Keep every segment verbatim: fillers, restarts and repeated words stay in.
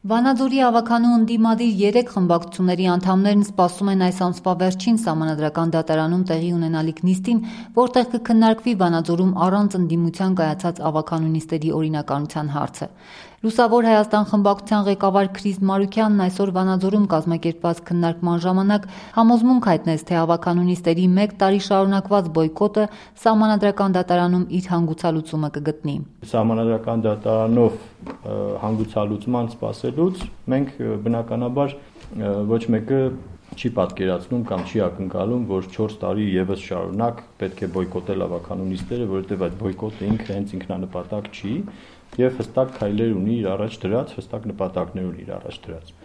Վանաձորի ավականու ընդդիմադիր երեք խմբակցությունների անդամներն սպասում են այս ամսվա վերջին Սահմանադրական դատարանում տեղի ունենալիք նիստին, որտեղ կքննարկվի Վանաձորում առանց ընդդիմության կայացած ավականու նիստերի օրինականության հարցը։ Լուսավոր Հայաստան խմբակցության ղեկավար Քրիս Մարուքյանն այսօր Վանաձորում կազմակերպված քննարկման ժամանակ համոզմունք հայտնեց, թե ավականու նիստերի մեկ տարի շարունակված բոյկոտը Սահմանադրական դատարանում իր հանգուցալուծումը կգտնի։ Սահմանադրական դատարանով հանգուցալուծման սպասելուց մենք բնականաբար ոչ մեկը չի պատկերացնում կամ չի ակնկալում, որ չորս տարի եւս շարունակ պետք է բոյկոտել ավականու նիստերը, որովհետեւ այդ բոյկոտը ինքը հենց ինքնանպատակ չի եւ հստակ քայլեր ունի իր առաջ դրած, հստակ նպատակներ ունի իր առաջ դրած։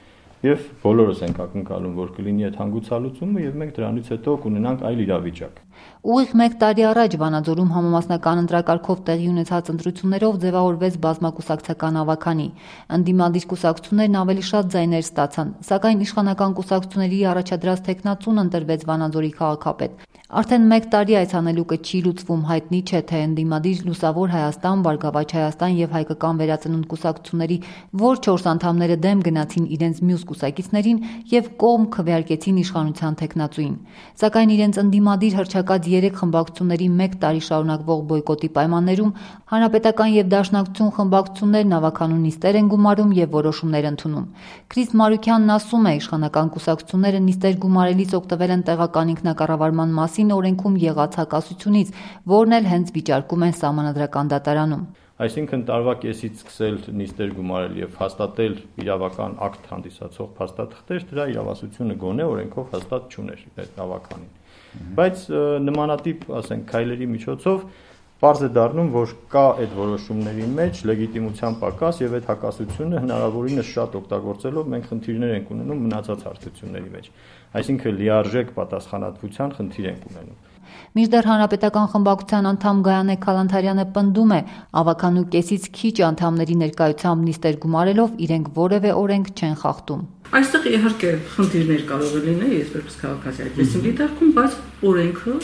Եվ բոլորս ենք ակնկալում, որ կլինի այդ հանգուցալուծումը եւ մենք դրանից հետո կունենանք այլ իրավիճակ։ Ուղիղ մեկ տարի առաջ Վանաձորում համամասնական ընտրակարգով տեղի ունեցած ընտրություններով ձևավորվեց բազմակուսակցական ավականի։ Ընդդիմադիր կուսակցություններն ավելի շատ ձայներ ստացան, սակայն իշխանական կուսակցությունների առաջադրած թեկնածուն ընտրվեց Վանաձորի քաղաքապետ։ Արդեն մեկ տարի այս հանելուկը չի լուծվում, հայտնի չէ, թե ընդդիմադիր Լուսավոր Հայաստան, Բարգավաճ Հայաստան եւ Հայկական Վերածնունդ կուսակցությունների որ չորս անդամները դեմ գնացին իրենց մյուս կուսակիցներին եւ կողմ քվեարկեցին իշխանության թեկնածուին։ Սակայն իրենց ընդդիմադիր հռչակած երեք խմբակցությունների մեկ տարի շարունակվող բոյկոտի պայմաններում Հանրապետական եւ Դաշնակցություն խմբակցություններն ավականու նիստեր են գումարում եւ որոշումներ ընդունում։ Քրիս Մարուքյանն ասում է, իշխանական կուսակցությունները նիստեր գումարելիս օգտվել են տեղական ինքնակառավարման մասին օրենքում եղած հակասությունից, որն էլ հենց վիճարկում են Սահմանադրական դատարանում։ Այսինքն տարվա կեսից սկսել նիստեր գումարել եւ հաստատել իրավական ակտ հանդիսացող փաստաթղթեր, դրա իրավասությունը գոնե օրենքով հաստատ չուներ այդ ավականին։ Բայց նմանատիպ, ասենք, քայլերի միջոցով պարզ է դառնում, որ կա այդ որոշումների մեջ լեգիտիմության պակաս եւ այդ հակասությունը հնարավորինս շատ օգտագործելով մենք խնդիրներ ենք ունենում մնացած հարթությունների մեջ։ Այսինքն լիարժեք պատասխանատվության խնդիր ենք ունենում։ Մինչդեռ Հանրապետական խմբակցության անդամ Գայանե Քալանթարյանը պնդում է, ավականու կեսից քիչ անդամների ներկայությամբ նիստեր գումարելով իրենք որևէ օրենք չեն խախտում։ Այստեղ իհարկե խնդիրներ կարող է լինել, ես որպես քաղաքացի այդպես եմ դիտարկում, բայց օրենքը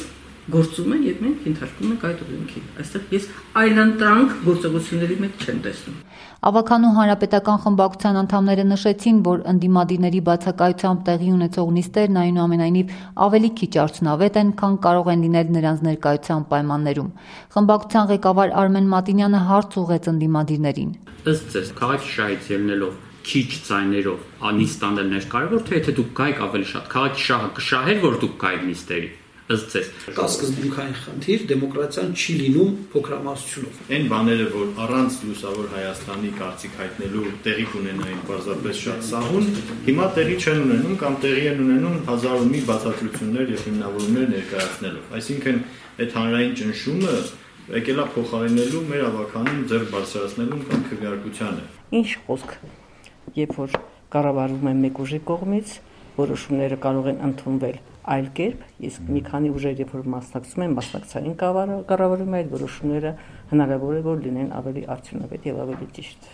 գործում է եւ մենք ենթարկում ենք այդ օրենքին։ Այստեղ ես այլընտրանք գործողությունների մեջ չեմ տեսնում։ Ավականու Հանրապետական խմբակցության անդամները նշեցին, որ ընդդիմադիրների բացակայությամբ տեղի ունեցող նիստերն այնուամենայնիվ ավելի քիչ արդյունավետ են, քան կարող են լինել նրանց ներկայության պայմաններում։ Խմբակցության ղեկավար Արմեն Մատինյանը հարց ուղղեց ընդդիմադիրներին։ Ըստ ձեզ, քաղաքի շահից ելնելով քիչ ձայներով նիստ անելն է կարևոր, թե եթե դուք գայիք ավելի շատ քաղաքի շահը կշահեր, որ դուք գայիք նիստերի։ Ըստ ձեզ կա սկզբունքային խնդիր, դեմոկրատիան չի լինում փոքրամասնությունով։ Այն բաները, որ առանց Լուսավոր Հայաստանի կարծիք հայտնելու տեղի կունենային պարզապես շատ սահուն, հիմա տեղի չեն ունենում կամ տեղի են ունենում հազար ու մի բացատրություններ եւ հիմնավորումներ ներկայացնելով։ Այսինքն այդ հանրային ճնշումը եկել է փոխարինելու մեր ավականին ձեռք բարձրացնելուն կամ քվեարկությանը։ Ինչ խոսք, երբ որ կառավարվում է մեկ ուժի կողմից, որոշումները կարող են ընդունվել այլ կերպ, իսկ մի քանի ուժեր երբ որ մասնակցում են մասնակցային կառավարում այդ որոշումները հնարավոր է որ լինեն ավելի արդյունավետ եւ ավելի ճիշտ։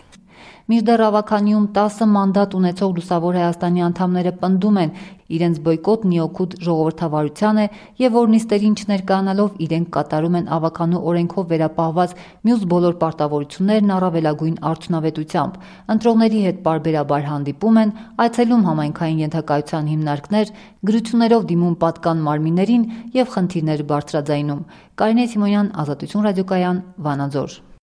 Մինչդեռ ավականիում տասը մանդատ ունեցող Լուսավոր Հայաստանի անդամները պնդում են, իրենց բոյկոտն ի օգուտ ժողովրդավարության է եւ որ նիստերին չներկայանալով իրենք կատարում են ավականու օրենքով վերապահված մյուս բոլոր պարտավորություններն առավելագույն արդյունավետությամբ։ Ընտրողների հետ պարբերաբար հանդիպում են, այցելում համայնքային ենթակայության հիմնարկներ, գրություններով դիմում պատկան մարմիններին եւ խնդիրներ բարձրաձայնում։ Կարինե Սիմոնյան, Ազատություն ռադիոկայան, Վանաձոր։